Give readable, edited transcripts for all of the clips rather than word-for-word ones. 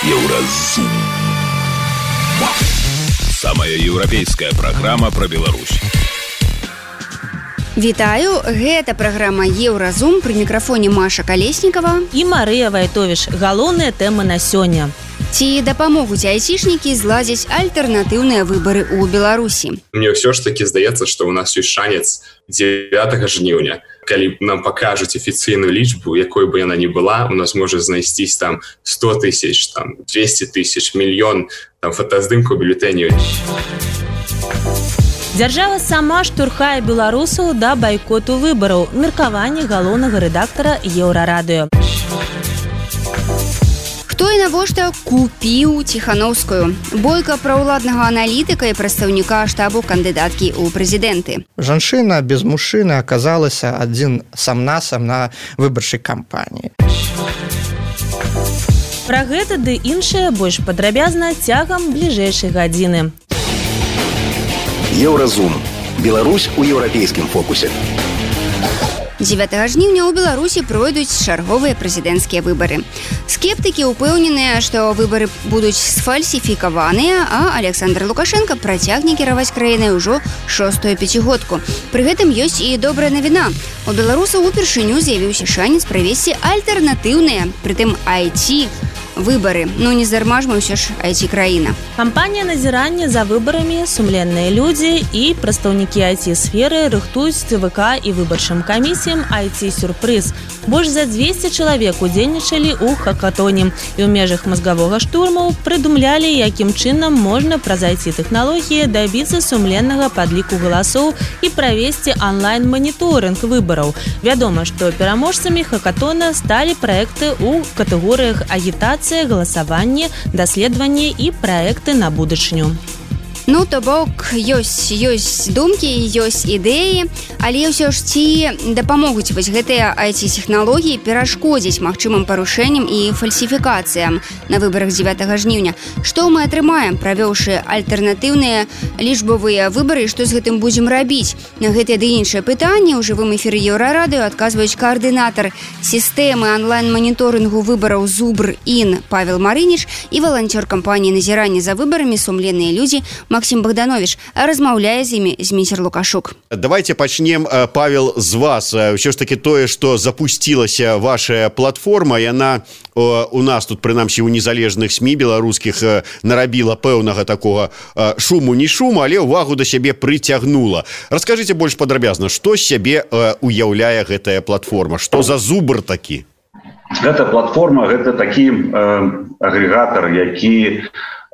Еўразум. Самая еўрапейская праграма пра Беларусь. Вітаю, гэта праграма Еўразум, пры мікрафоне Маша Калеснікава і Марыя Вайтовіч. Галоўныя тэмы на сёння. Ці дапамогуць айцішнікі зладзіць альтэрнатыўныя выбары ў Беларусі? Мне ўсё ж такі здаецца, што ў нас ёсць шанец 9 жніўня. Калі нам пакажуць афіцыйную лічбу, якой бы яна ні была, у нас можа знайсцісь там 100 тысяч, там 200 тысяч, мільён там фотаздымкаў бюлетэняў. Дзяржава сама штурхае беларусаў да байкоту выбараў. Меркаванне галоўнага рэдактара Еўрарадыё. Хто і навошта купіў Ціхановскую? Бойка праўладнага аналітыка і прадстаўніка штабу кандыдаткі ў прэзідэнты. Жанчына без мужчыны аказалася адзін сам-насам на выбарчай кампаніі. Пра гэта ды іншае больш падрабязна цягам бліжэйшай гадзіны. Еўразум. Беларусь у еўрапейскім фокусе. 9 жніўня ў Беларусі пройдуць чарговыя прэзідэнцкія выбары. Скептыкі ўпэўненыя, што выбары будуць сфальсіфікаваныя, а Александр Лукашенко працягне кіраваць краінай ужо 6-ю пяцігодку. Пры гэтым ёсць і добрая навіна. У беларусаў упершыню з'явіўся шанец правесці альтэрнатыўныя, прытым IT, выбары. Ну, не зарма ж мы ўсё ж IT-краіна. Кампанія назірання за выбарамі, сумленныя людзі і прадстаўнікі IT-сферы рыхтуюць ЦВК і выбарчым камісіям IT-сюрпрыз. Больш за 200 чалавек удзельнічалі ў хакатоне і ў межах мазгавога штурму прыдумлялі, якім чынам можна праз IT-тэхналогіі дабіцца сумленнага падліку галасоў і правесці онлайн-маніторынг выбараў. Вядома, што пераможцамі хакатона сталі праекты ў катэгорыях агітацыя, галасаванне, даследаванне і праекты на будучыню. Ну, то бок, ёсць думкі, ёсць ідэі, але ўсё ж ці дапамогуць вось гэтыя IT-тэхналогіі перашкодзіць магчымым парушэнням і фальсіфікацыям на выбарах 9 жніўня. Што мы атрымаем, правёўшы альтэрнатыўныя лічбавыя выбары, і што з гэтым будзем рабіць? На гэтыя ды іншыя пытанні ў жывым эфіры Еўрарадыё адказваюць каардынатар сістэмы онлайн-маніторынгу выбараў Зубр-Ін Павел Марыніч і валанцёр кампаніі назірання за выбарамі «Сумленныя людзі» Максим Богданович. Размаўляе з імі Зміцер Лукашук. Давайте пачнем, Павел, з вас. Ўсё ж таки тое, што запусцілася ваша платформа, яна у нас тут, прынамсі, у незалежных СМІ беларускіх нарабіла пэўнага такога шуму, не шуму, але ўвагу да сябе прыцягнула. Раскажыце больш падрабязна, што з сябе уяўляе гэтая платформа? Што за Зубр такі? Гэта платформа, гэта такі агрэгатар, які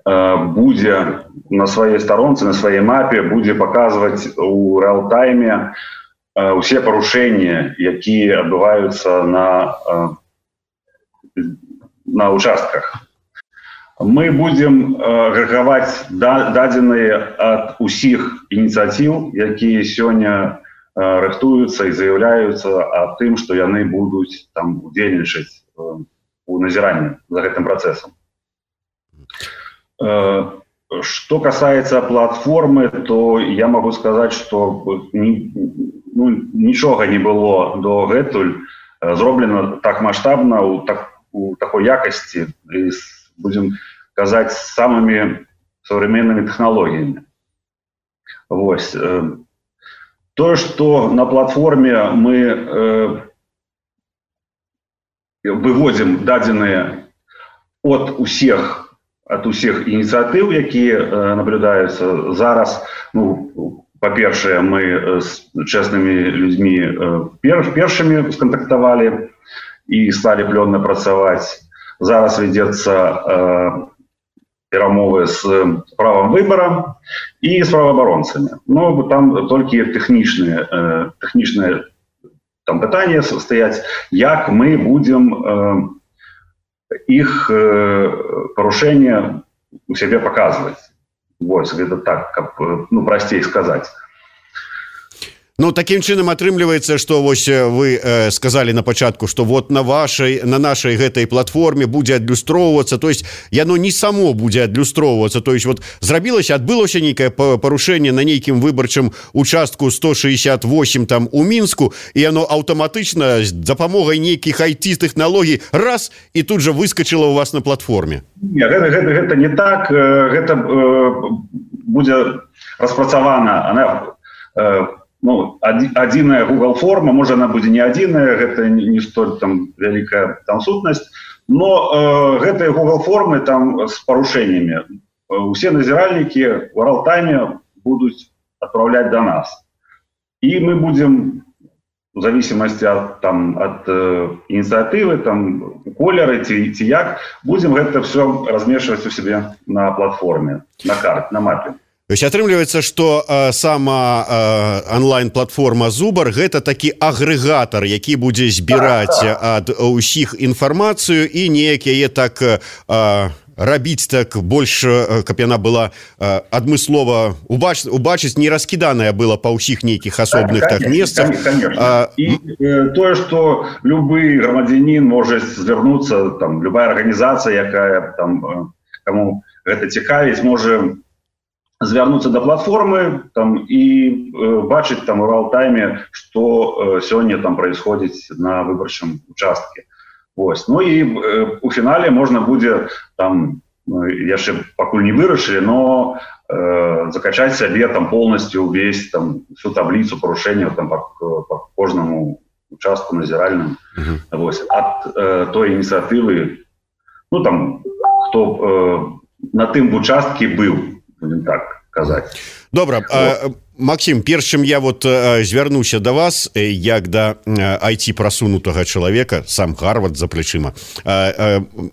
будзе на сваёй старонцы, на сваёй мапе, будзе паказваць у рэал-тайме усе парушэнні, якія адбываюцца на участках. Мы будзем агрэгаваць дадзеныя ад усіх ініцыятыў, якія сёння рыхтуюцца і заяўляюцца аб тым, што яны будуць там удзельнічаць у назіранні за гэтым працэсам. Что касается платформы, то я могу сказать, что ничего не было до гэтуль зроблено так масштабно, у такой якости, и, будем казать, с самыми современными технологиями. Вот. То, что на платформе мы выводим дадзеныя от усіх ініцыятыў, якія наблюдаюцца зараз. Ну, па-першае, мы з чэснымі людзьмі першымі скантактавалі і сталі плённа працаваць. Зараз вядзецца перамовы з правам выбара і з праваабаронцамі. Ну, там толькі тэхнічныя там пытанні стаяць, як мы будзем іх парушэння у сябе паказваць. Вось, гэта так, каб прасцей сказаць. Ну, таким чынам атрымліваецца, што вось вы сказалі на пачатку, што вот на нашай гэтай платформе будзе адлюстроўвацца, то есть яно не само будзе адлюстроўвацца, то есть вот адбылося нейкае парушэнне на нейкім выбарчым участку 168 там у Мінску, і яно аўтаматычна з дапамогай нейкіх IT-тэхналогій раз і тут жа выскачыла у вас на платформе. Не, гэта не так, гэта будзе распрацавана, она адзіная Google форма, можа она будзе не адзіная, гэта не столь там вялікая там сутнасць, но гэтыя Google формы там з парушэннямі усе назіральнікі в реал-тайме будуць адпраўляць до нас, і мы будзем в зависимости от инициативы, там колеры ці як, будем гэта все размешивать у себе на платформе, на карте, на мапе. То есть атрымліваецца, што сама онлайн-платформа Зубар гэта такі агрэгатар, які будзе збіраць ад усіх інфармацыю і неяк яе так рабіць так больш, каб яна была адмыслова убачыць, не раскіданая была па ўсіх нейкіх асобных так месцах. І тое, што любы грамадзянін можа звярнуцца, там любая арганізацыя, якая там каму гэта цікавіць, можа звярнуцца да платформы там і бачыць там у реал-тайме, што сёння там происходзіць на выбарчым участке. Ось. Ну і у фінале можна будзе там, яшчэ пакуль не вырашылі, но закачаць сабе там полностью увесь там всю таблицу парушэнняў там по кожнаму участку назіральным. Ось. Ад той ініцыятывы, ну там хто на тым участке быў, будем так казаць. Добра, Максим, перш чым я вот звярнуся да вас, як да IT-прасунутага чалавека, сам Гарвард за плечыма,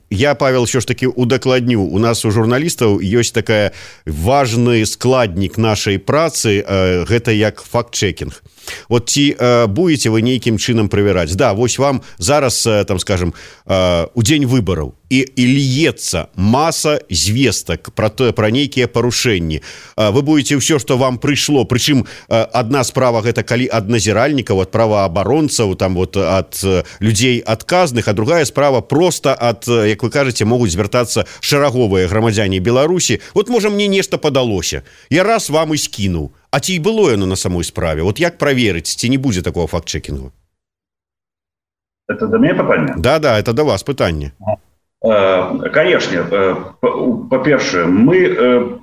я, Павел, ўсё ж таки удакладню, у нас у журналістаў ёсць такая важны складнік нашай працы, гэта як факт-чекінг. Вот ці будете вы нейкім чынам правяраць? Да, вось вам зараз, там, скажем, у дзень выбараў і льецца маса звестак пра нейкія парушэнні. Вы будете ўсё, што вам прыйшло, прычым адна справа гэта калі ад назіральнікаў, ад праваабаронцаў, там вот ад людзей адказных, а другая справа проста ад, як вы кажаце, могуць звяртацца шараговыя грамадзяне Беларусі. Вот можа мне нешта падалося. Я раз вам і скінуў. А ці было яно на самой справе? Вот як праверыць, ці не будзе такого факт-чекінгу? Это до меня пытанне? Да, это до вас пытанне. Конечно. Па-першае, мы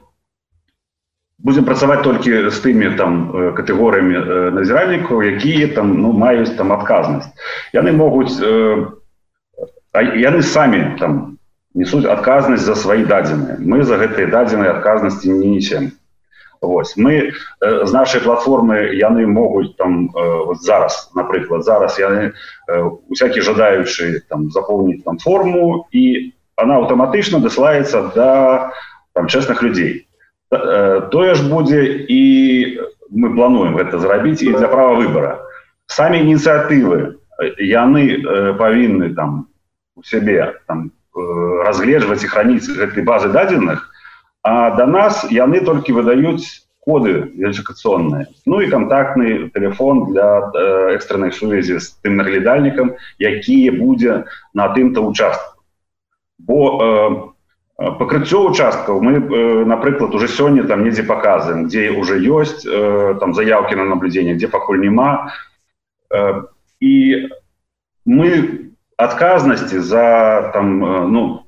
будем працаваць толькі з тымі там катэгорыямі назіральнікаў, якія там маюць там адказнасць. Яны могуць, яны самі там несуць адказнасць за свае дадзеныя. Мы за гэтыя дадзеныя адказнасці не несем. Вось. Мы з нашай платформы яны могуць там вот зараз, напрыклад, зараз яны усякі жадаючы там запоўніць там форму, і она аўтаматычна дасылаецца да там чэсных людзей. Тое ж будзе, і мы плануем гэта зрабіць і для права выбара. Самі ініцыятывы яны павінны там у сябе там разгледжваць і храніць гэтай базы дадзеных, а до нас яны толькі выдаюць коды верыфікацыйныя. Ну і контактны телефон для экстрэннай сувязі з тым наглядальнікам, які будзе на тым-то участку. Бо пакрыццё участкаў мы, напрыклад, уже сёння там недзе паказваем, дзе уже ёсць там заявкі на наблюдение, дзе пакуль няма. І мы адказнасці за там,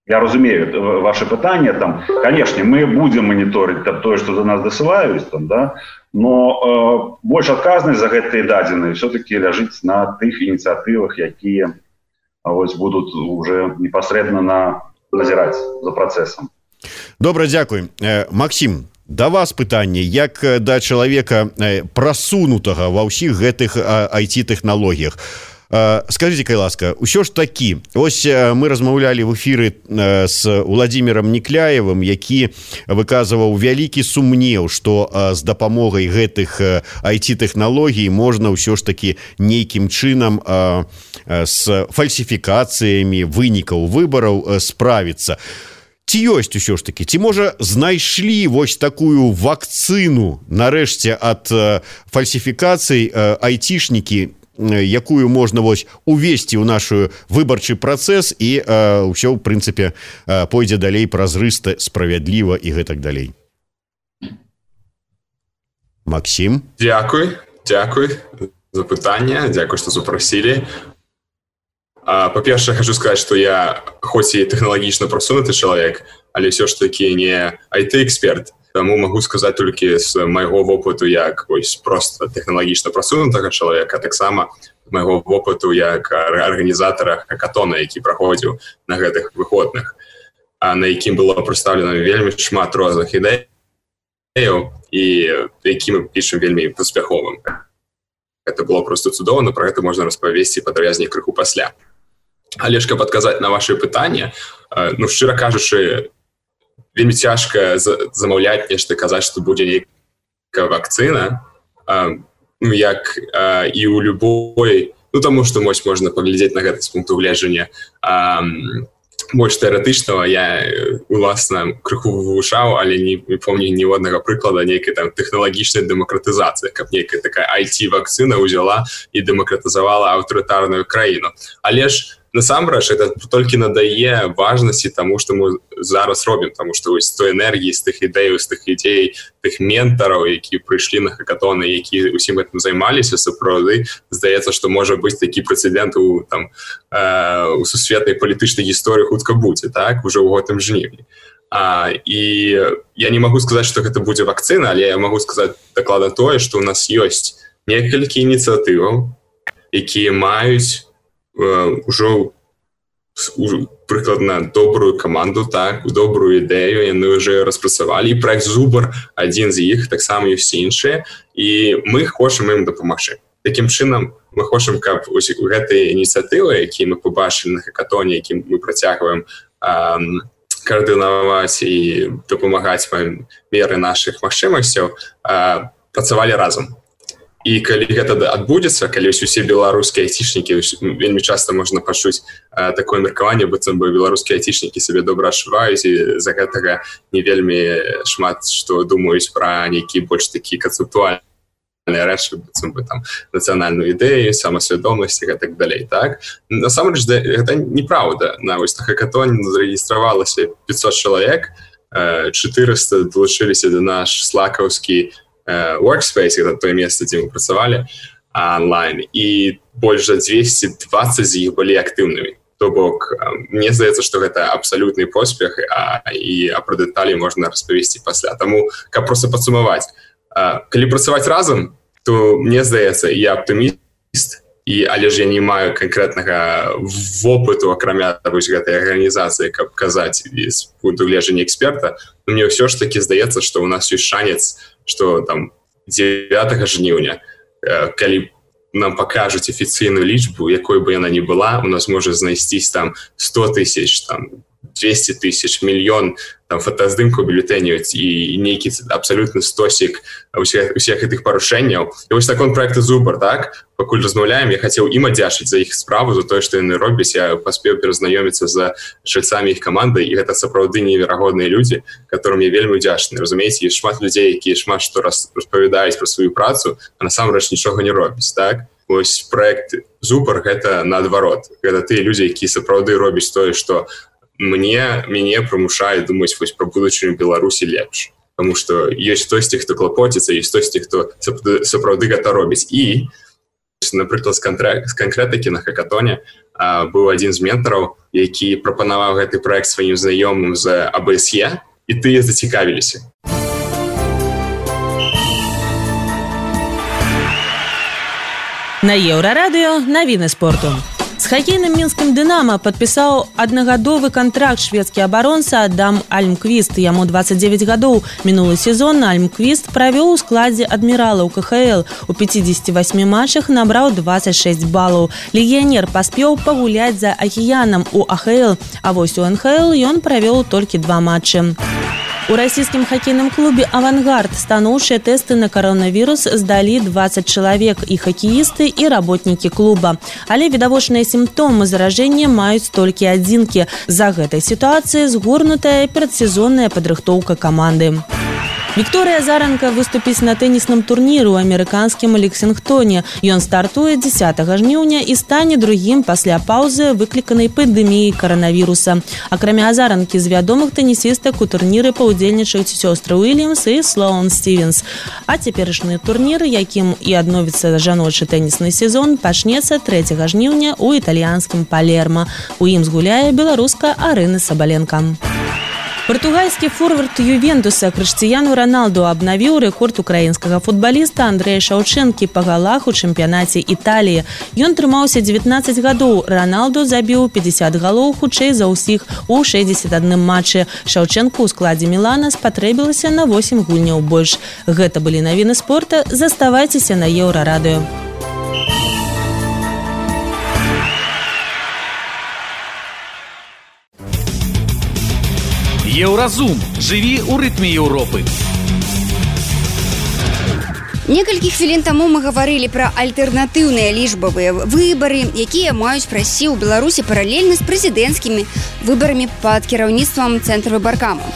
я разумею ваше пытанне, там, конечно, мы будем мониторить то, что до нас досылаюць, там, да, но больше адказнасць за гэтыя дадзеныя все-таки ляжыць на тых ініцыятывах, якія будут уже непосредственно назіраць за працэсам. Добра, дзякуй. Максим, да вас пытанне, як да чалавека прасунутага ва ўсіх гэтых IT-тэхналогіях. Скажите, ласка, ўсё ж такі, ось мы размаўлялі в эфіры з Владимиром Некляевым, які выказываў вялікі сумнеў, што з дапамогай гэтых IT-тэхналогій можна ўсё ж такі нейкім чынам з фальсіфікацыямі вынікаў выбараў справіцца. ці ёсць усё ж таки, ці можа знайшлі вось такую вакцыну нарэшце ад фальсіфікацый айцішнікі, якую можна вось увесці ў нашу выбарчы працэс і ўсё ў прынцыпе пойдзе далей празрыста, справядліва і гэтак далей. Максим? Дзякуй за пытанне, дзякуй, што запрасілі. Па-першае, хочу сказаць, што я хоць і тэхналагічна прасунуты чалавек, але ўсё ж такі не IT-эксперт. Таму магу сказаць толькі з майго вопыту як просто тэхналагічна прасунутага чалавека, таксама майго вопыту як арганізатара хакатона, які праходзіў на гэтых выходных, на якім было прадстаўлена вельмі шмат розных ідэяў і які мы пішам вельмі паспяховым. Гэта было просто цудоўна, пра гэта можна распавесці падрабязней крыху пасля. Але ж каб адказаць на ваши пытанні, шчыра кажучы, вельмі цяжка замаўляць нешта, казаць, што будзе нейкая вакцына, як і ў любой, таму што можна паглядзець на гэта з пункту гледжання больш тэарэтычнага. Я уласна крыху вывучаў, але не помню ніводнага прыклада нейкай там тэхналагічнай дэмакратызацыі, каб нейкая такая IT-вакцына ўзяла і дэмакратызавала аўтарытарную краіну. Але ж насамрэч, это толькі надае важнасці таму, што мы зараз робім, таму што вось той энергіі, з тых ідэяў, з тых ідзей, тых ментараў, які прыйшлі на хакатоны, які ўсім гэтым займаліся, сапраўды здаецца, што можа быць такі прэцэдэнт у сусветнай палітычнай гісторыі хутка будзе, так, ужо ў гэтым жніўні. І я не магу сказаць, што гэта будзе вакцына, але я магу сказаць дакладна тое, што ў нас ёсць некалькі ініцыятываў, якія маюць ужо прыкладна добрую каманду, так, добрую ідэю, яны ўжо распрацавалі. І праект Зубар адзін з іх, таксама ёсць іншыя, і мы хочам ім дапамагчы. Такім чынам мы хочам, каб гэтыя ініцыятывы, якія мы побачылі на хакатоне, які мы працягваем каардынаваць і дапамагаць па меры нашых магчымасцяў, працавалі разам. І калі гэта адбудзецца, калі усе беларускія айцішнікі, вельмі часта можна пачуць такое меркаванне, быццам бы беларускія айцішнікі сабе добра адчуваюць і за гэтага не вельмі шмат што думаюць пра нейкі больш такі канцэптуальныя рэчы, быццам бы там нацыянальную ідэю, самасвядомасць і гэтак далей, так? Насамрэч, гэта неправда. На хакатоне зарэгістравалася 500 чалавек, 400 далучыліся да наш слакаўскі Workspace, это то место, дзе мы працавалі онлайн, і больш за 220 з іх былі актыўнымі. То бок, мне здаецца, што гэта абсалютны поспех, і пра дэталі можна распавесці пасля. Таму, каб проста падсумаваць, калі працаваць разам, то мне здаецца, я аптыміст, але ж я не маю канкрэтнага вопыту, акрамя гэтай арганізацыі, каб казаць з пункту гледжання эксперта, но мне ўсё ж такі здаецца, што ў нас ёсць шанец, што там 9 жніўня, калі нам пакажуць афіцыйную лічбу, якой бы яна ні была, у нас можа знайсцісь там 100 тысяч, там 200 тысяч, мільён там фотаздымкаў бюлетэняў і нейкі абсалютны стосік усіх гэтых парушэнняў. І вось такой проект Зубар, так? Пакуль размаўляем, я хацеў ім адзячыць за іх справу, за тое, што яны робяць. Я паспеў перазнаёміцца з чальцамі іх каманды, і гэта сапраўды неверагодныя людзі, которым я вельмі ўдзячны. Разумееце, ёсць шмат людзей, якія шмат што распавядаюць пра сваю працу, а насамрэч нічога не робяць, так? Вось проект Зубар гэта наадварот. Гэта тыя людзі, якія сапраўды робяць тое, што мяне прымушае думаць вось пра будучыню Беларусі лепш. Таму што ёсць хтосьці, хто клапоціцца, ёсць хтосьці, хто сапраўды гэта робіць. І, напрыклад, з канкрэтыкі на хакатоне быў адзін з ментараў, які прапанаваў гэты праект сваім знаёмым з АБСЕ, і тыя зацікавіліся. На Еўрарадыё навіны спорту. З хакейным мінскім «Дынамо» падпісаў аднагадовы кантракт шведскі абаронца Адам Альмквіст. Яму 29 гадоў. Мінулы сезон Альмквіст правёў у складзе адміралаў КХЛ. У 58 матчах набраў 26 балаў. Легіянер паспеў пагуляць за акіянам у АХЛ, а вось у НХЛ ён правёў толькі 2 матчы. У расійскім хакейным клубе «Авангард» станоўчыя тэсты на коронавірус здалі 20 чалавек, і хакеісты, і работнікі клуба. Але відавочныя сімптомы заражэння маюць толькі адзінкі. За гэтай сітуацыяй згорнутая перадсезонная падрыхтоўка каманды. Вікторыя Азаранка выступіць на тэнісным турніры ў амерыканскім Лексінгтоне. Ён стартуе 10 жніўня і стане другім пасля паўзы, выкліканай пандэміяй каранавіруса. Акрамя Азаранкі, з вядомых тэнісістак у турніры паўдзельнічаюць сёстры Уильямс і Слоун Стівенс. А цяперашні турнір, якім і адновіцца жаночы тэнісны сезон, пачнецца 3 жніўня ў італьянскім Палерма. У ім згуляе беларуска Арына Сабаленка. Партугальскі форвард Ювентуса Крыштыяну Роналду абнавіў рэкорд украінскага футбаліста Андрэя Шаўчэнкі па галах у чэмпіянаце Італіі. Ён трымаўся 19 гадоў. Роналду забіў 50 галоў хутчэй за ўсіх у 61 матчы. Шаўчэнку ў складзе Мілана спатрэбілася на 8 гульняў больш. Гэта былі навіны спорта. Заставайцеся на Еўрарадыё. Еўразум. Жыві ў рытме Еўропы. Некалькі хвілін таму мы гаварылі пра альтэрнатыўныя лічбавыя выбары, якія маюць прайсці ў Беларусі паралельна з прэзідэнцкімі выбарамі пад кіраўніцтвам Цэнтрвыбаркама.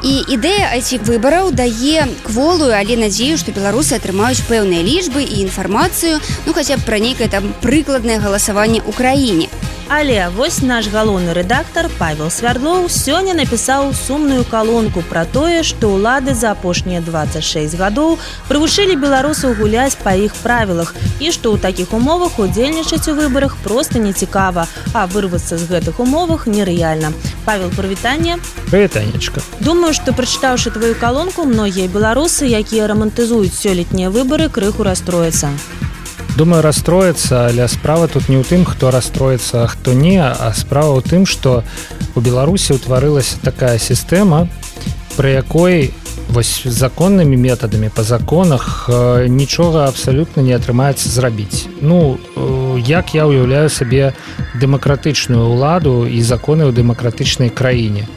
І ідэя этих выбараў дае кволую, але надзею, што беларусы атрымаюць пэўныя лічбы і інфармацыю, хаця б пра нейкае там прыкладнае галасаванне ў краіне. Але вось наш галоўны рэдактар Павел Свярдлоў сёння напісаў сумную калонку пра тое, што ўлады за апошнія 26 гадоў прывучылі беларусаў гуляць па іх правілах і што ў такіх умовах удзельнічаць у выбарах проста нецікава, а вырвацца з гэтых умовах нерэальна. Павел, прывітанне. Прывітанечка. Думаю, што прачытаўшы тваю калонку, многія беларусы, якія рамантызуюць сёлетнія выбары, крыху расстрояцца. Думаю, расстроіцца, але справа тут не ў тым, хто расстроіцца, а хто не, а справа ў тым, што у Беларусі ўтварылася такая сістэма, пры якой вось законнымі метадамі па законах нічога абсалютна не атрымаецца зрабіць. Як я ўяўляю сабе дэмакратычную ўладу і законы ў дэмакратычнай краіне.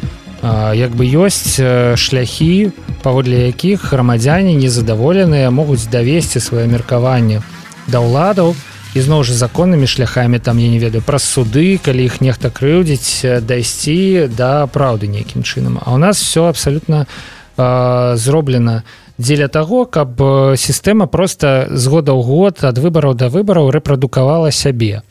Як бы ёсць шляхі, паводле якіх грамадзяне незадаволеныя могуць давесці сваё меркаванне да ўладаў і зноў жа законнымі шляхамі, там, я не ведаю, праз суды, калі іх нехта крыўдзіць, дайсці да праўды нейкім чынам. А ў нас все абсалютна зроблена дзеля таго, каб сістэма проста з года ў год, ад выбараў да выбараў рэпрадукавала сябе.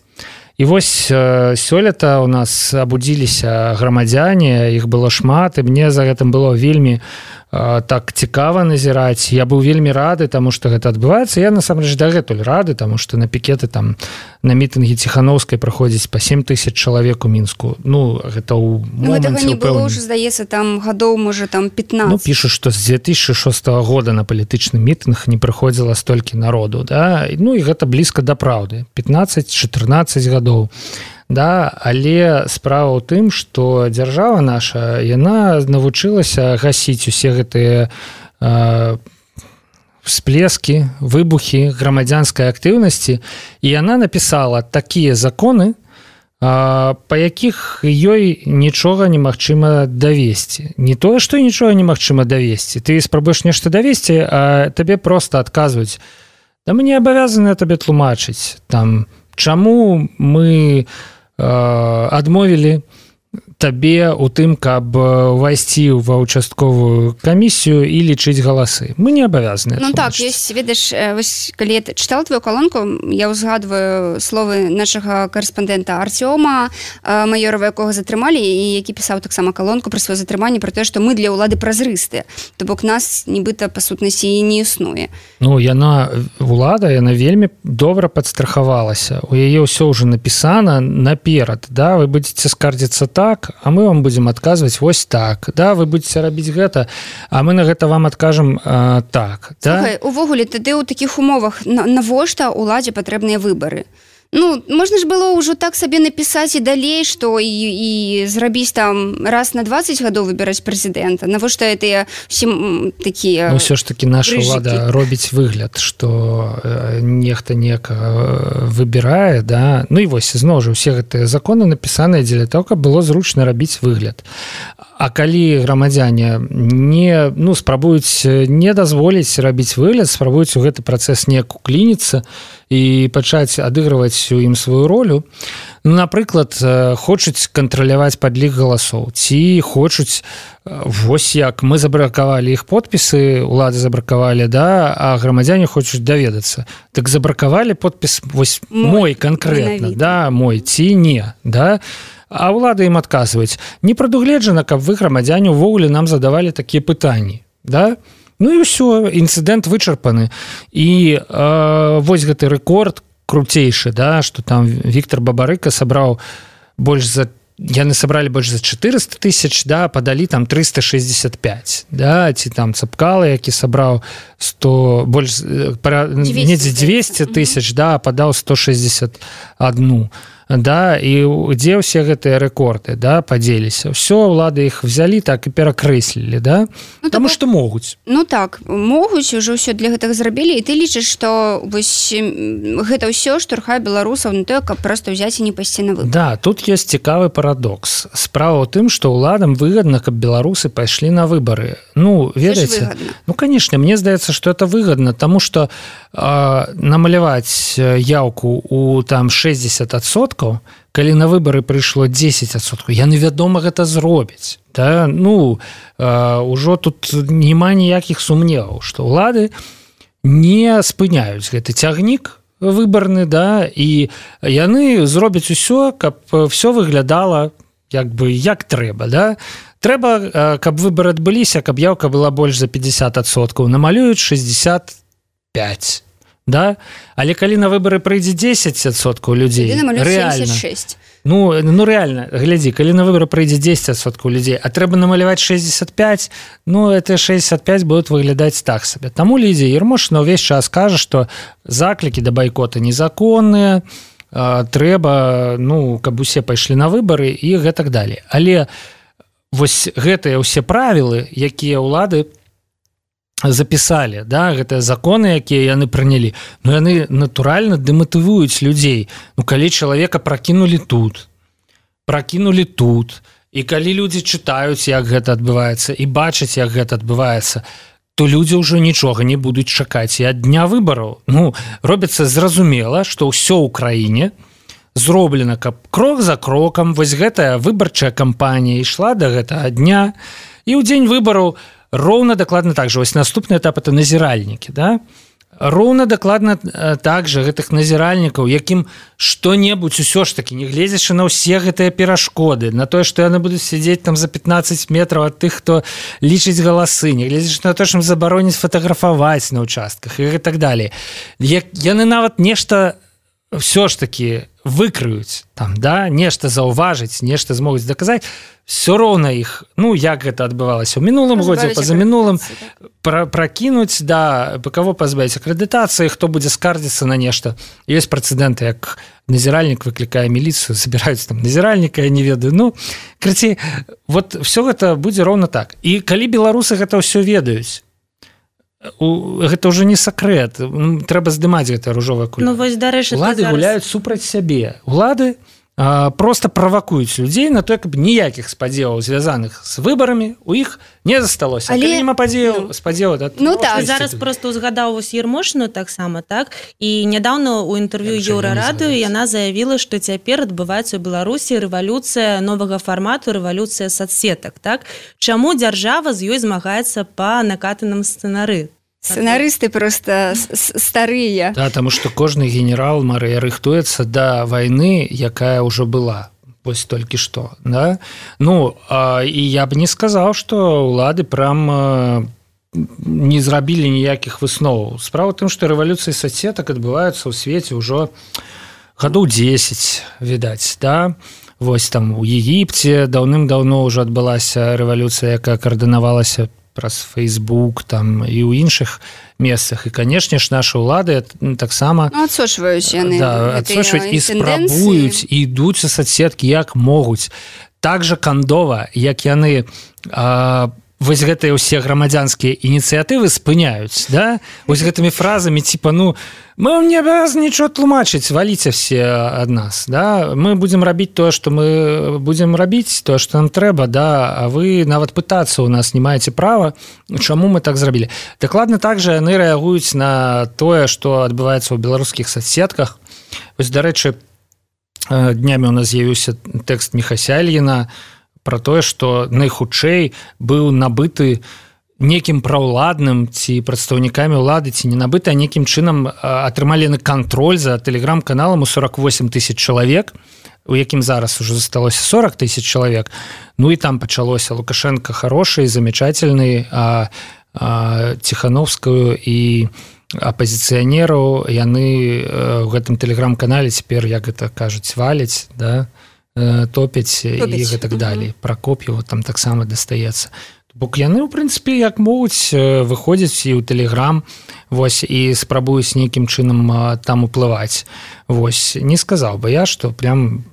І вось сёлета ў нас абудзіліся грамадзяне, іх было шмат, і мне за гэтым было вельмі так цікава назіраць. Я быў вельмі рады, таму што гэта адбываецца. Я насамрэч дагэтуль рады, таму што на пікеты там на мітынгі Ціханаўскай праходзіць па 7 000 чалавек у Мінску. Гэта ў моманце гэтага не было ўжо, здаецца, там гадоў, можа, там 15. Пішуць, што з 2006 года на палітычны мітынг не прыходзіла столькі народу, да? І гэта блізка да праўды. 15-14 гадоў. Да, але справа ў тым, што дзяржава наша, яна навучылася гасіць усе гэтыя всплескі, выбухі грамадзянскай актыўнасці, і яна напісала такія законы, па якіх ёй нічога немагчыма давесці. Не тое, што нічога немагчыма давесці. Ты спрабуеш нешта давесці, а табе проста адказваюць: да мы не абавязаны табе тлумачыць, там, чаму мы адмовілі табе ў тым, каб увайсці ва ўчастковую камісію і лічыць галасы. Мы не абавязаны. Так, ёсць, ведаеш, вось калі я чытала твою калонку, я ўзгадваю словы нашага карэспандэнта Артёма Майорова, якога затрымалі, і які пісаў таксама калонку пра сваё затрыманне, пра тое, што мы для ўлады празрыстыя. То бок нас нібыта па сутнасці і не існуе. Улада, яна вельмі добра падстрахавалася. У яе ўсё ўжо напісана наперад. Да? Вы будзеце скардзіцца так, а мы вам будзем адказваць вось так. Да? Вы будзеце рабіць гэта, а мы на гэта вам адкажам так. Да? Слухай, увогуле, тады ў такіх умовах навошта ўладзе патрэбныя выбары? Можна ж было ўжо так сабе напісаць і далей, што і зрабіць там раз на 20 гадоў выбіраць прэзідэнта. Навошта гэтыя ўсім такія... Ўсё ж такі наша ўлада робіць выгляд, што нехта некага выбірае, да? І вось, зноў жа, усе гэтыя законы напісаныя дзеля того, каб было зручна рабіць выгляд. А калі грамадзяне не спрабуюць не дазволіць рабіць выгляд, спрабуюць у гэты працэс неяк уклініцца і пачаць адыгрываць у ім сваю ролю, напрыклад, хочуць кантраляваць падлік галасоў, ці хочуць, вось як мы забракавалі іх подпісы, улады забракавалі, да, а грамадзяне хочуць даведацца. Так забракавалі подпіс вось мой канкрэтна, да, мой ці не, да. А ўлады ім адказваюць. Не прадугледжана, каб вы, грамадзяне, увогуле нам задавалі такія пытанні. Да? Ну і ўсё, інцыдэнт вычарпаны. І вось гэты рэкорд круцейшы, да, што там Віктор Бабарыка сабраў яны сабралі больш за 400 тысяч, да, падалі там 365, да, ці там Цапкала, які сабраў 200 тысяч, да, падаў 161. Да, і дзе ўсе гэтыя рэкорды, да, падзеліся. Ўсё, ўлады іх взялі, так і перакрэслілі, да? Таму што могуць. Ну так, могуць, ужо ўсё для гэтага зрабілі, і ты лічыш, што вось гэта ўсё штурхае беларусаў на тое, каб проста ўзяць і не пайсці на выбары. Да, тут ёсць цікавы парадокс. Справа ў тым, што ўладам выгадна, каб беларусы пайшлі на выбары. Ну, ведаеце? Ну, канешне, мне здаецца, што это выгадна, таму што намаляваць яўку у там 60%, калі на выбары прыйшло 10%, яны, вядома, гэта зробяць. Да? Ну, ўжо тут няма ніякіх сумневаў, што ўлады не спыняюць гэты цягнік выбарны, да, і яны зробяць усё, каб все выглядала як трэба, да? Трэба, каб выбары адбыліся, каб яўка была больш за 50%, намалююць 65%. Да? Але калі на выбары прыйдзе 10% людзей, рэальна, 76. ну рэальна, глядзі, калі на выбары прыйдзе 10% людзей, а трэба намаляваць 65, ну это 65 будуць выглядаць так сабе. Таму Лідзія Ярмошына ўвесь час кажа, што заклікі да байкота незаконныя, трэба, ну, каб усе пайшлі на выбары і гэтак далей. Але вось гэтыя ўсе правілы, якія ўлады запісалі, да, гэтыя законы, якія яны прынялі, ну яны натуральна дэматывуюць людзей. Ну калі чалавека пракінулі тут, і калі людзі чытаюць, як гэта адбываецца, і бачаць, як гэта адбываецца, то людзі ўжо нічога не будуць чакаць і ад дня выбараў. Ну, робіцца зразумела, што ўсё ў краіне зроблена, каб крок за крокам вось гэтая выбарчая кампанія ішла да гэтага дня, і ў дзень выбараў роўна дакладна так же. Вось наступны этап – это назіральнікі, да? Роўна дакладна так же гэтых назіральнікаў, якім што-небудзь усё ж такі, не гледзячы на ўсе гэтыя перашкоды, на тое, што яны будуць сядзець там за 15 метраў ад тых, хто лічыць галасы, не гледзячы на тое, што ім забароняць фатаграфаваць на ўчастках і так далей. Яны нават нешта ўсё ж такі выкрыюць, там, да? Нешта заўважыць, нешта змогуць даказаць, все роўна іх, ну, як гэта адбывалася ў мінулым годзе, пазамінулым, пракінуць, да, каго пазбавіць акрэдытацыі, хто будзе скардзіцца на нешта. Ёсць прэцэдэнты, як назіральнік выклікае міліцыю, забіраюць там назіральніка, я не ведаю. Ну, карацей, вот все гэта будзе роўна так. І калі беларусы гэта ўсё ведаюць, гэта ўжо не сакрэт, трэба здымаць гэтае ружовае кулё. Ну, вось, дарэчы, улады гуляюць супраць сябе. Улады просто правакуюць людзей на то, каб ніякіх спадзеваў, звязаных з выбарамі, у іх не засталося. Але няма спадзеваў, ну так, зараз просто узгадаў вось Ярмошыну таксама, так? І нядаўна ў інтэрв'ю Еўрарадыё яна заявіла, што цяпер адбываецца ў Беларусі рэвалюцыя новага фармату, рэвалюцыя соцсетак, так? Чаму дзяржава з ёй змагаецца па накатаным сцэнары? Сцэнарысты просто старыя. Да, таму што кожны генерал, Марыя, рыхтуецца да вайны, якая ўжо была. Вось толькі што, да? Ну, і я б не сказаў, што ўлады прям не зрабілі ніякіх высноваў. Справа ў тым, што рэвалюцыі соцсетак адбываюцца ў свеце ўжо гадоў 10, відаць, да? Вось там у Егіпце даўным-даўно ўжо адбылася рэвалюцыя, якая каардынавалася праз Facebook там і ў іншых месцах. І, канешне ж, нашы ўлады таксама адсочваюць яны, да, адсочваюць і спрабуюць, і ідуць у соцсеткі як могуць. Так жа кандова, як яны вось гэтыя ўсе грамадзянскія ініцыятывы спыняюць, да? Вось гэтымі фразамі типа, ну, мы вам не абавязаны нічого тлумачыць, валіце все ад нас, да? Мы будзем рабіць тое, што мы будзем рабіць, тое, што нам трэба, да? А вы нават пытацца ў нас не маеце права, чаму мы так зрабілі. Дакладна так жа яны рэагуюць на тое, што адбываецца ў беларускіх соцсетках. Вось, дарэчы, днямі у нас з'явіўся тэкст Міхася Ільіна про тое, што найхутчэй быў набыты некім праўладным ці прадстаўнікамі ўлады, ці не набыты, а некім чынам атрымалі на кантроль за тэлеграм-каналам у 48 тысяч чалавек, у якім зараз уже засталося 40 тысяч чалавек. Ну і там пачалося Лукашенко хороший, замечательный, а Ціхановскую і апозіцыянераў яны ў гэтым тэлеграм-канале цяпер, як гэта кажуць, валяць, да? Топяць і гэтак далей. Пракоп'еву там таксама дастаецца. Бок яны, у прынцыпе, як могуць, выходзяць і ў тэлеграм, вось, і спрабуюць нейкім чынам там уплываць. Вось, не сказаў бы я, што прям...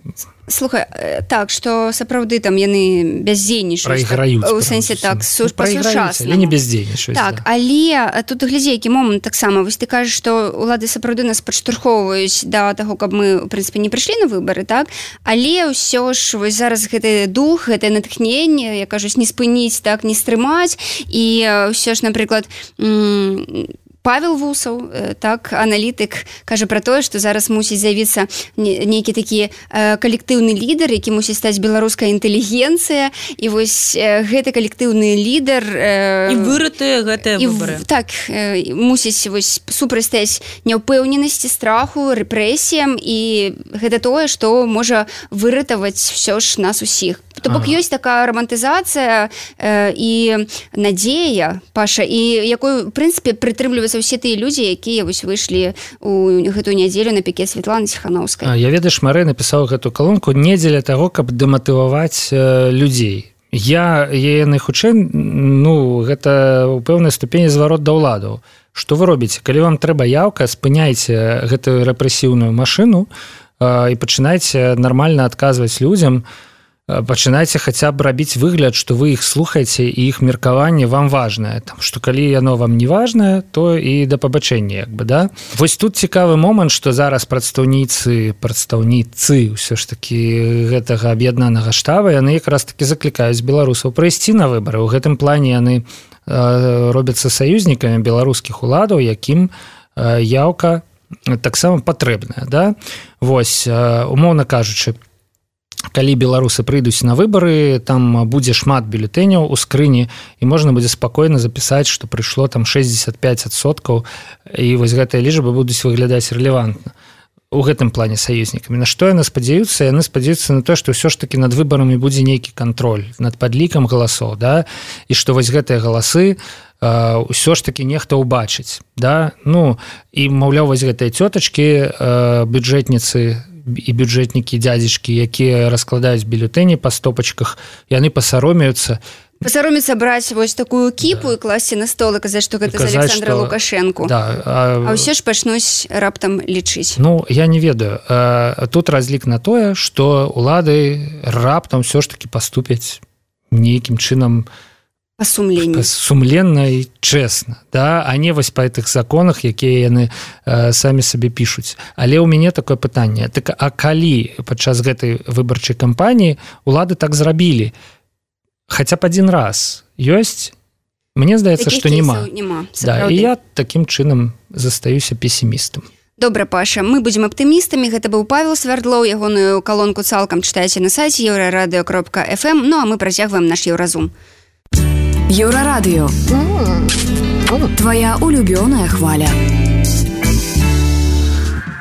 Слухай, так, што сапраўды там яны бяздзейнічаюць. Прайграюць. У сэнсе так, па-сучаснаму. Але не бяздзейнічаюць. Так, да. Але тут глядзі, які момант таксама. Вось ты кажаш, што улады сапраўды нас падштурхоўваюць да таго, каб мы, у прынцыпе, не прыйшлі на выбары, так? Але ўсё ж, вось зараз гэты дух, гэтае натхненне, я кажусь, не спыніць, так, не стрымаць. І ўсё ж, напрыклад, Павел Вусаў, так, аналітык, кажа пра тое, што зараз мусіць з'явіцца нейкі такі калектыўны лідар, які мусіць стаць беларуская інтэлігенцыя, і вось гэты калектыўны лідар... І вырытыя гэтыя выбары. Так, мусіць вось супрацьстаць няўпэўненасці, страху, рэпрэсіям, і гэта тое, што можа выратаваць ўсё ж нас усіх. То бок ёсць такая романтызацыя і надзея, Паша, і якой, у прынцыпе, прытрымліваюцца ўсе тыя людзі, якія вось выйшлі ў гэтую нядзелю на пікет Светланы Ціхановскай. Я ведаеш, Марэ напісаў гэту калонку не дзеля таго, каб дэматываваць людзей. Я найхутчэй, ну, гэта ў пэўнай ступені зварот да ўладаў. Што вы робіце? Калі вам трэба яўка, спыняйце гэтую рэпрэсіўную машыну і пачынайце нармальна адказваць людзям, пачынайце хаця б рабіць выгляд, што вы іх слухаеце і іх меркаванне вам важнае. Там, што калі яно вам не важнае, то і да пабачэння, як бы, да? Вось тут цікавы момант, што зараз прадстаўніцы ўсё ж такі гэтага аб'яднанага штаба, яны якраз такі заклікаюць беларусаў прыйсці на выбары. У гэтым плане яны робяцца саюзнікамі беларускіх уладаў, якім яўка таксама патрэбная, да? Вось, умоўна кажучы, калі беларусы прыйдуць на выбары, там будзе шмат бюлетэняў у скрыні, і можна будзе спакойна запісаць, што прыйшло там 65%, і вось гэтыя лічбы будуць выглядаць рэлевантна. У гэтым плане саюзнікамі. На што яны спадзяюцца? Яны спадзяюцца на то, што ўсё ж такі над выбарамі будзе нейкі кантроль, над падлікам галасоў, да? І што вось гэтыя галасы ўсё ж такі нехта ўбачыць, да? Ну, і, маўляў, вось гэтыя цётачкі, бюджэтніцы і бюджэтнікі, дзядзечкі, якія раскладаюць бюлетэні па стопачках, яны пасаромеюцца браць вось такую кіпу, да, і класці на стол і казаць, што гэта з Александра Лукашэнку. Да, а ўсё ж пачнуць раптам лічыць. Ну, я не ведаю. Тут разлік на тое, што улады раптам ўсё ж такі паступяць нейкім чынам сумленна і чэсна, да? А не вось па гэтых законах, якія яны самі сабе пішуць. Але ў мяне такое пытанне. Так, а калі падчас гэтай выбарчай кампаніі улады так зрабілі? Хаця б адзін раз ёсць? Мне здаецца, што няма. Да, і я такім чынам застаюся песімістам. Добра, Паша, мы будзем аптымістамі. Гэта быў Павел Свярдлоў, ягоную калонку цалкам чытайце на сайце euraradio.fm. Ну, а мы працягваем наш Еўразум. Еўрарадыё. Твоя улюбёная хваля.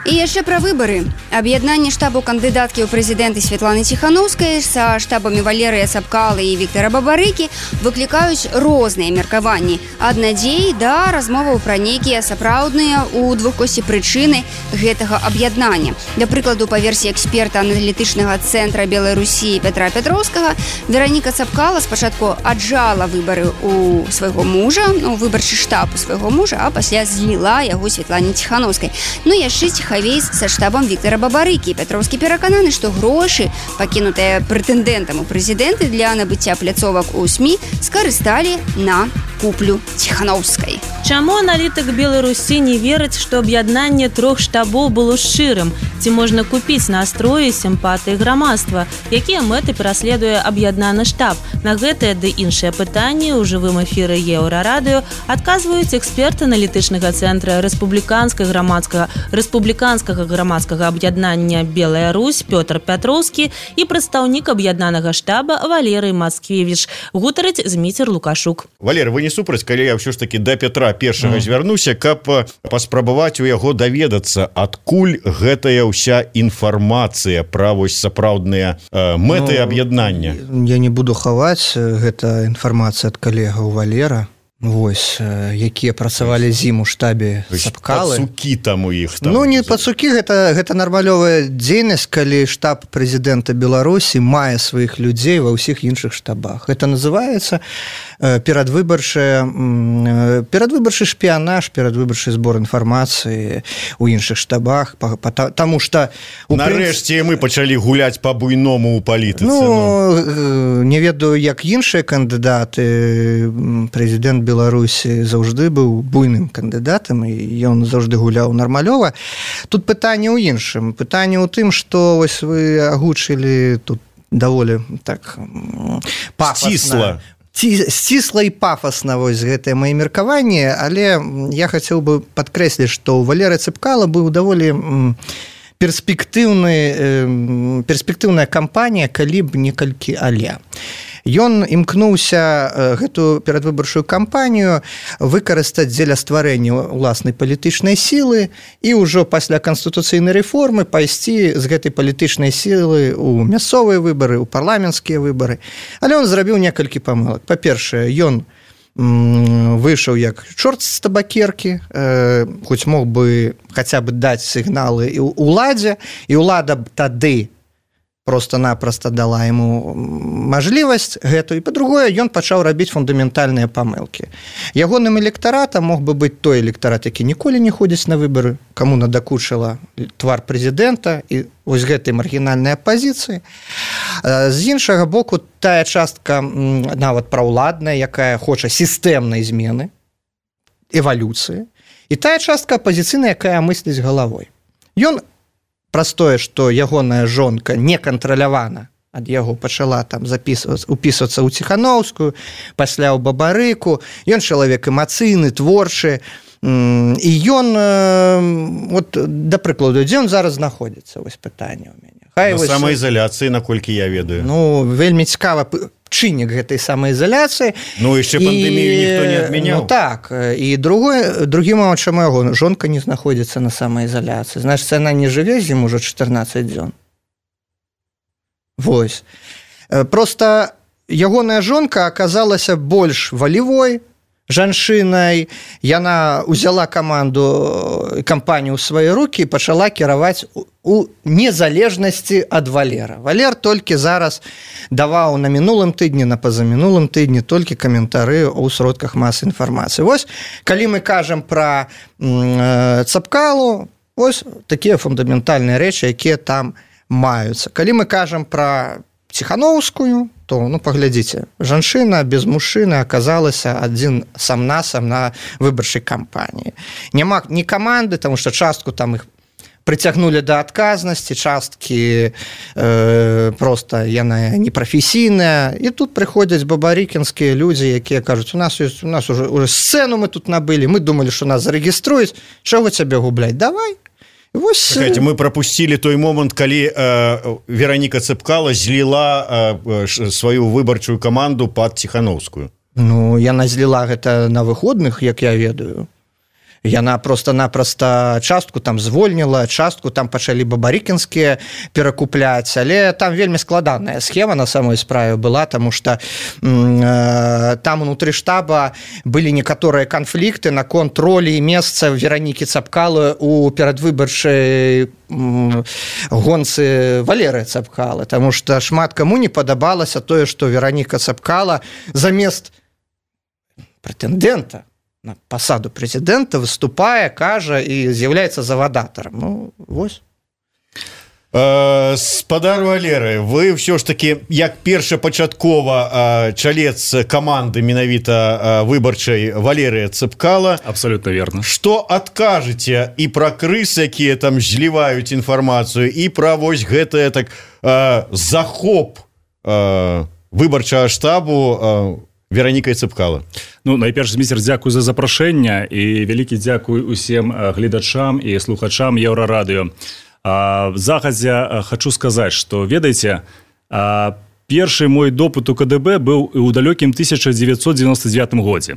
І яшчэ пра выбары. Аб'яднанне штабу кандыдаткі ў прэзідэнты Светланы Ціхановскай са штабамі Валерыя Сапкалы і Віктара Бабарыкі выклікаюць розныя меркаванні. Ад надзей да размоваў пра нейкія сапраўдныя ў двухкосці прычыны гэтага аб'яднання. Да прыкладу, па версіі эксперта аналітычнага цэнтра Беларусі Пятра Пятроўскага, Вераніка Сапкала спачатку аджала выбары у свайго мужа, выбарчы штаб у свайго мужа, а пасля зліла яго Светлане Ціхановскай. Ну, яшчэ ціха Лухавейс са штабам Віктора Бабарыкі. Пятроўскі перакананы, што грошы, пакінутыя прэтэндэнтам у прэзідэнты для набыцця пляцовак у СМІ, скарысталі на куплю Ціханаўскай. Чаму аналітык Беларусі не верыць, што аб'яднанне 3 штабоў было шчырым? Ці можна купіць настроі сімпатыі грамадства? Якія мэты пераследуе аб'яднаны штаб? На гэтыя ды іншыя пытанні ў жывым эфіры Еўрарадыё адказваюць эксперты аналітычнага цэнтра рэспубліканскага грамадскага аб'яднання Белая Русь Пётр Пятроўскі і прадстаўнік аб'яднанага штаба Валерый Мацкевіч. Гутарыць Зміцер Лукашук. Валер, вы не супраць, калі я ўсё ж таки да Петра першага звярнуся, каб паспрабаваць у яго даведацца, адкуль гэтая ўся інфармацыя пра вось сапраўдныя мэты аб'яднання? Я не буду хаваць, гэта інфармацыя ад калегаў Валера, вось, якія працавалі зіму ў штабе Цапкалы. Пацукі там у іх. Ну, не пацукі, гэта нармалёвая дзейнасць, калі штаб прэзідэнта Беларусі мае сваіх людзей ва ўсіх іншых штабах. Гэта называецца перадвыбарчы шпіянаж, перадвыбарчы збор інфармацыі ў іншых штабах, таму што... Нарэшце мы пачалі гуляць па-буйному ў палітыцы. Ну, не ведаю, як іншыя кандыдаты. Прэзідэнт Беларусі заўжды быў буйным кандыдатам, і ён заўжды гуляў нармалёва. Тут пытанне ў іншым. Пытанне ў тым, што вось вы агучылі тут даволі так пафасна. Сцісла і пафасна вось гэтае маё меркаванне, але я хацеў бы падкрэсліць, што Валерый Цапкала быў даволі перспектыўная кампанія, калі б некалькі але. Ён імкнуўся гэту перадвыбарчую кампанію выкарыстаць дзеля стварэння ўласнай палітычнай сілы і ўжо пасля канстытуцыйнай рэформы пайсці з гэтай палітычнай сілы ў мясцовыя выбары, ў парламенцкія выбары. Але ён зрабіў некалькі памылак. Па-першае, ён выйшаў як чорт з табакеркі, хоць мог бы хаця б даць сігналы ўладзе, і ўлада б тады просто-напросто дала ему мажлівасць гэту, і па-другое, ён пачаў рабіць фундаментальныя памылкі. Ягоным электаратам мог бы быць той электарат, які ніколі не ходзіць на выбары, каму надакучыла твар прэзідэнта і вось гэтай маргінальнай апазіцыі. З іншага боку, тая частка нават праўладная, якая хоча сістэмнай змены, эвалюцыі, і тая частка апазіцыйная, якая мысліць галавой. Ён праз тое, што ягоная жонка некантралявана ад яго пачала там упісвацца ў Ціханаўскую, пасля ў Бабарыку, ён чалавек эмацыйны, творчы, і ён, вот, да прыкладу, дзе ён зараз знаходзіцца, вось пытанне ў мяне. На самаізаляцыі, наколькі я ведаю. Ну, вельмі цікава чыннік гэтай самаізаляцыі. Ну, яшчэ пандэмію ніхто не адмяняў. Ну, так. І другі момант, чаму яго жонка не знаходзіцца на самаізаляцыі. Значыць, яна не жыве з ім ужо 14 дзён. Вось. Просто ягоная жонка аказалася больш валевой жанчынай, яна ўзяла кампанію ў свае рукі і пачала кіраваць у незалежнасці ад Валера. Валер толькі зараз даваў на мінулым тыдні, на пазамінулым тыдні толькі каментары ў сродках масы інфармацыі. Вось, калі мы кажам пра Цапкалу, вось такія фундаментальныя рэчы, якія там маюцца. Калі мы кажам пра Ціханаўскую, то, ну, паглядзіце, жанчына без мужчыны аказалася адзін сам-насам на выбарчай кампаніі. Няма ні каманды, таму што частку там іх прыцягнулі да адказнасці, часткі проста яна непрафесійная, і тут прыходзяць бабарыкінскія людзі, якія кажуць, у нас уже сцэну мы тут набылі, мы думалі, што нас зарэгіструюць, чаго цябе губляць, давай. Чакайте, мы пропустили той момент, калі Вероніка Цапкала зліла сваю выбарчую каманду пад Ціханаўскую. Ну, яна зліла гэта на выходных, як я ведаю. Яна просто-напросто частку там звольніла, частку там пачалі бабарыкінскія перакупляць, але там вельмі складаная схема на самой справе была, таму што там унутры штаба былі некаторыя канфлікты наконт ролі і месца Веронікі Цапкалы у перадвыбарчай гонцы Валеры Цапкалы, таму што шмат каму не падабалася тое, што Вероніка Цапкала замест прэтэндэнта на пасаду прэзідэнта, выступае, кажа і з'яўляецца завадатарам. Ну, вось. Спадар Валеры, вы ўсё ж таки як першапачаткова чалец каманды менавіта выбарчай Валерыя Цэпкала. Абсолютно верно. Што адкажыце і пра крыс, якія там зліваюць інфармацыю, і пра вось гэтае так захоп выбарчага штабу Веранікай Цэпкала? Ну, найперш, міцер, дзякую за запрашэнне і вялікі дзякуй усім гледачам і слухачам Еўрарадыё. Загадзя хочу сказаць, што, ведаеце, першы мой допыт у КДБ быў у далёкім 1999 годзе.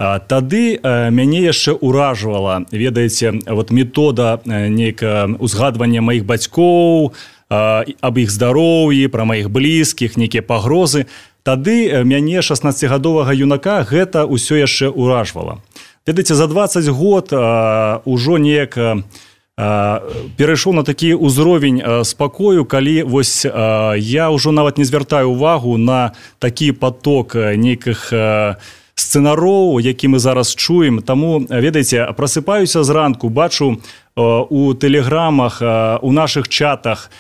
Тады мяне яшчэ ўражвала, ведаеце, вот метода нейкае узгадвання маіх бацькоў, аб іх здароўі, пра маіх блізкіх, нейкія пагрозы. Тады мяне, 16гадовага юнака, гэта ўсё яшчэ ўражвала. Ведаеце, за 20 год ужо неяк перайшоў на такі ўзровень спакою, калі вось я ўжо нават не звяртаю увагу на такі поток нейкіх сцэнароў, які мы зараз чуем. Таму, ведаеце, прасыпаюся зранку, бачу у тэлеграмах, у нашых чатах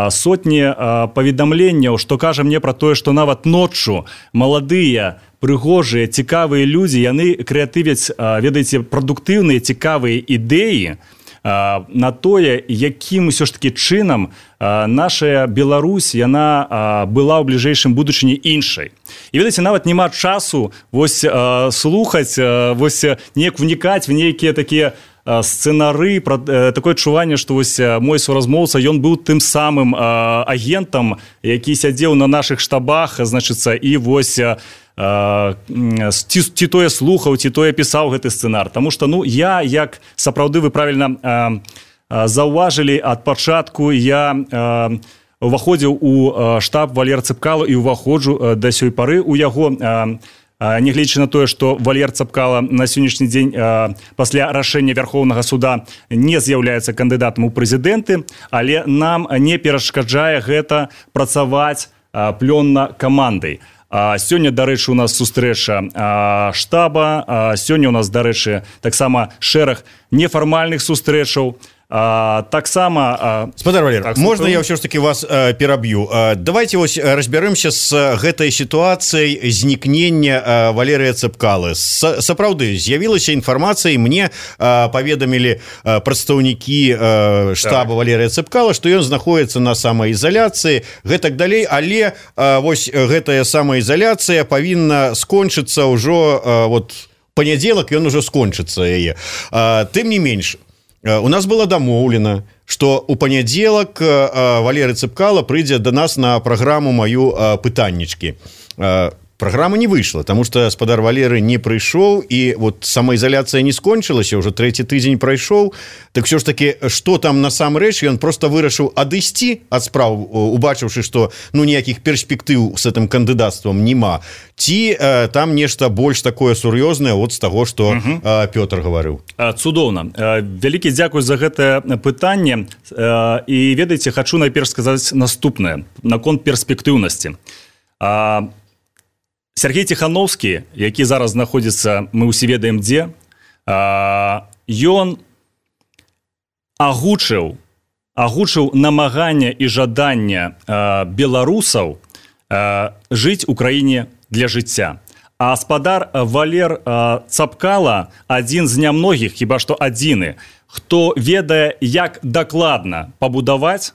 сотні паведамленняў, што кажа мне пра тое, што нават ноччу маладыя, прыгожыя, цікавыя людзі, яны крэатывяць, ведаеце, прадуктыўныя, цікавыя ідэі на тое, якім усё ж таки чынам наша Беларусь, яна была ў бліжэйшым будучыні іншай. І, ведаеце, нават няма часу вось слухаць, вось неяк вникаць в нейкія такія сцэнары, такое адчуванне, што вось мой суразмоўца, ён быў тым самым агентам, які сядзеў на нашых штабах, значыцца, і вось ці тое слухаў, ці тое пісаў гэты сцэнар. Таму што, ну, я, як сапраўды вы правільна заўважылі, ад пачатку я уваходзіў у штаб Валеры Цэпкала і уваходжу да сёй пары у яго, нягледзячы на тое, што Валер Цэпкала на сённяшні дзень пасля рашэння Вярхоўнага суда не з'яўляецца кандыдатам у прэзідэнты, але нам не перашкаджае гэта працаваць плённа камандай. Сёння, дарэчы, у нас сустрэча штаба, сёння у нас, дарэчы, таксама шэраг нефармальных сустрэчаў. Таксама... Спадар Валер, можна я ўсё ж таки вас пераб'ю? Давайте вось разбярэмся з гэтай сітуацыяй знікнення Валерыя Цэпкалы. Сапраўды, з'явілася інфармацыя, і мне паведамілі прадстаўнікі штаба Валерыя Цэпкала, што ён знаходіцца на самаізаляцыі, гэтак далей, але вось гэтая самаізаляцыя павінна скончыцца ўжо, вот, панядзелак ён ужо скончыцца яе. Тым не менш, у нас было дамоўлена, што у панядзелак Валерый Цэпкала прыйдзе да нас на праграму маю пытаннічкі. Праграма не выйшла, таму што спадар Валеры не прыйшоў, і вот самаізаляцыя не скончылася, ўжо 3-й тыдзень прайшоў. Так ўсё ж такі, што там насамрэч, ён проста вырашыў адысці ад спраў, убачыўшы, што ну ніякіх перспектыў з гэтым кандыдацтвам няма. Ці там нешта больш такое сур'ёзнае от з таго, што Пётр гаварыў. Цудоўна. Вялікі дзякуй за гэтае пытанне. І ведаеце, хачу найперш сказаць наступнае наконт перспектыўнасці. Сергей Тихановскі, які зараз знаходзіцца, мы ўсе ведаем дзе, ён агучыў намаганне і жаданне беларусаў жыць у краіне для жыцця. А спадар Валер Цэпкала адзін з нямногіх, хіба што адзіны, хто ведае, як дакладна пабудаваць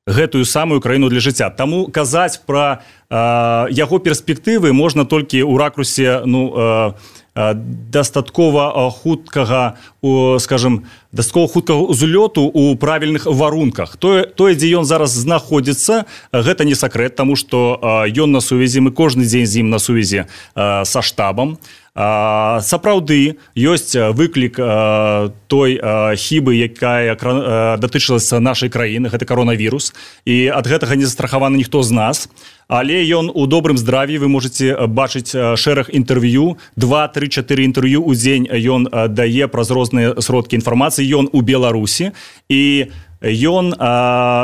гэтую самую краіну для жыцця. Таму казаць пра яго перспектывы можна толькі ў ракурсе дастаткова хуткага, скажем, дастаткова хуткага узлёту у правільных варунках. Тое, дзе ён зараз знаходзіцца, гэта не сакрэт, таму што ён на сувязі, мы кожны дзень з ім на сувязі са штабам. Сапраўды ёсць выклік той хібы, якая датычылася нашай краіны, гэта коронавірус, і ад гэтага не застрахаваны ніхто з нас. Але ён у добрым здраві, вы можете бачыць шэраг інтэрв'ю, 2, 3, 4 інтэрв'ю ў дзень ён дае праз розныя сродкі інфармацыі, ён у Беларусі, і ён,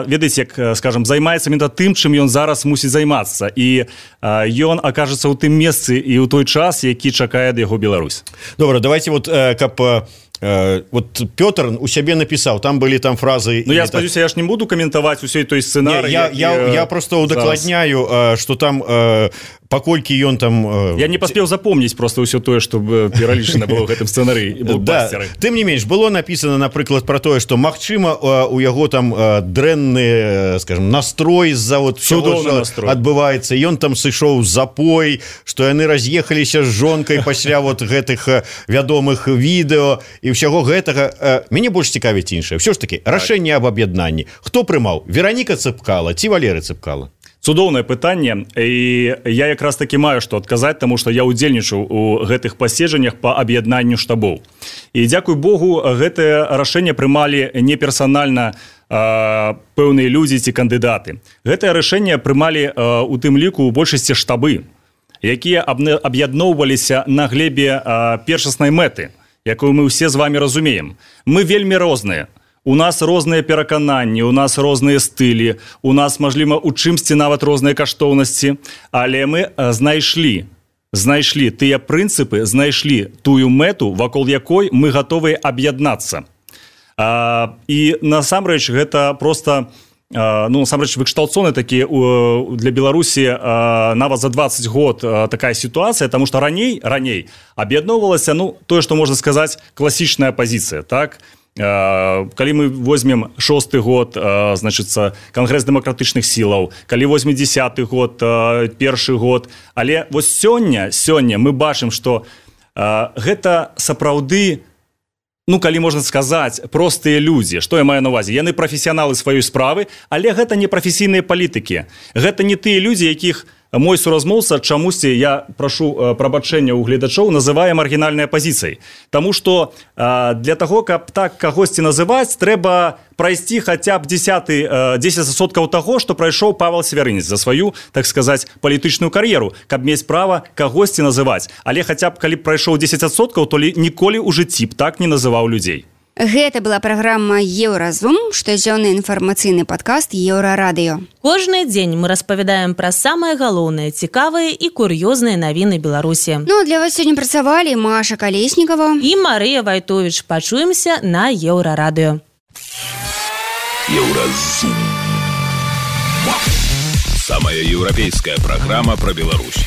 ведаеце, як, скажем, займаецца менавіта тым, чым ён зараз мусіць займацца. І ён акажацца ў тым месцы і ў той час, які чакае ад яго Беларусь. Добра, давайте вот, каб... Вот Пётр у сябе напісаў, там былі там фразы... Ну, я спадзяюся, я ж не буду каментаваць усёй той сцэнарый. Я просто удакладняю, што там... Паколькі ён там... Я не паспеў запомніць просто ўсё тое, што пералічана было ў гэтым сцэнарыі. Да, тым не менш, было напісана, напрыклад, пра тое, што, магчыма, у яго там дрэнны, скажем, настрой з-за вот всего, што адбываецца. Ён там сышоў запой, што яны раз'ехаліся з жонкай пасля вот гэтых вядомых відэо і ўсяго гэтага. Мяне больш цікавіць іншае. Ўсё ж такі, рашэнне аб аб'яднанні. Хто прымаў? Вераніка Цыпкала ці Валерый Цыпкала? Цудоўнае пытанне, і я якраз такі маю што адказаць, таму што я ўдзельнічаў у гэтых паседжаннях па аб'яднанню штабоў. І дзякуй Богу, гэтае рашэнне прымалі не персанальна пэўныя людзі ці кандыдаты. Гэтае рашэнне прымалі у тым ліку ў большасці штабы, якія аб'ядноўваліся на глебе першаснай мэты, якую мы ўсе з вами разумеем. Мы вельмі розныя. У нас розныя перакананні, у нас розныя стылі, у нас, мажліва, у чымсьці нават розныя каштоўнасці, але мы знайшлі тыя прынцыпы, знайшлі тую мэту, вакол якой мы гатовыя аб'яднацца. І насамрэч гэта проста, насамрэч выкшталцоны такі для Беларусі нават за 20 год такая сітуацыя, таму што раней аб'ядноўвалася, тое, што можна сказаць, класічная пазіцыя, так? Калі мы возьмем 6-й год, значыцца, Кангрэс дэмакратычных сілаў, калі возьмем 10-й год, першы год, але вось сёння мы бачым, што гэта сапраўды, калі можна сказаць, простыя людзі. Што я маю на ўвазе? Яны прафесіяналы сваёй справы, але гэта не прафесійныя палітыкі. Гэта не тыя людзі, якіх мой суразмоўца чамусьці, я прашу прабачэння ў гледачоў, называе маргінальнай апазіцыяй. Таму што для таго, каб так кагосьці называць, трэба прайсці хаця б 10% таго, што прайшоў Павел Севярынец за сваю, так сказаць, палітычную кар'еру, каб мець права кагосьці называць. Але хаця б калі б прайшоў 10%, то ніколі ў жыцці б так не называў людзей. Гэта была праграма «Еўразум», штодзённы інфармацыйны падкаст «Еўрарадыё». Кожны дзень мы распавядаем пра самыя галоўныя, цікавыя і кур'ёзныя навіны Беларусі. Для вас сёння працавалі Маша Калеснікова і Марыя Вайтовіч. Пачуемся на Еўрарадыё. Еўразум. Самая еўрапейская праграма пра Беларусь.